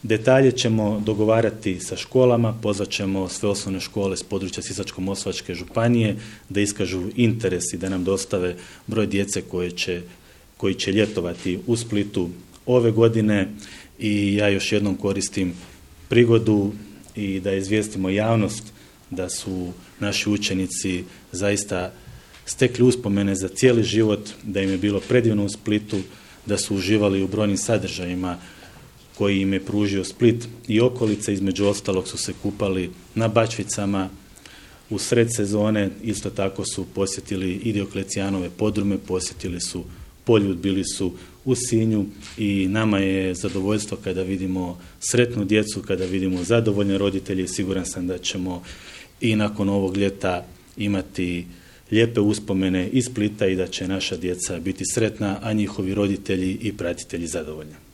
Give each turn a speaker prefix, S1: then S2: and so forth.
S1: Detalje ćemo dogovarati sa školama, pozvat ćemo sve osnovne škole s područja Sisačko-moslavačke županije da iskažu interes i da nam dostave broj djece koji će ljetovati u Splitu ove godine i ja još jednom koristim prigodu i da izvijestimo javnost da su naši učenici zaista stekli uspomene za cijeli život, da im je bilo predivno u Splitu, da su uživali u brojnim sadržajima koji im je pružio Split i okolice, između ostalog su se kupali na Bačvicama u sred sezone, isto tako su posjetili i Dioklecijanove podrume, posjetili su Poljud, bili su u Sinju i nama je zadovoljstvo kada vidimo sretnu djecu, kada vidimo zadovoljne roditelje i siguran sam da ćemo i nakon ovog ljeta imati lijepe uspomene iz Splita i da će naša djeca biti sretna, a njihovi roditelji i pratitelji zadovoljni.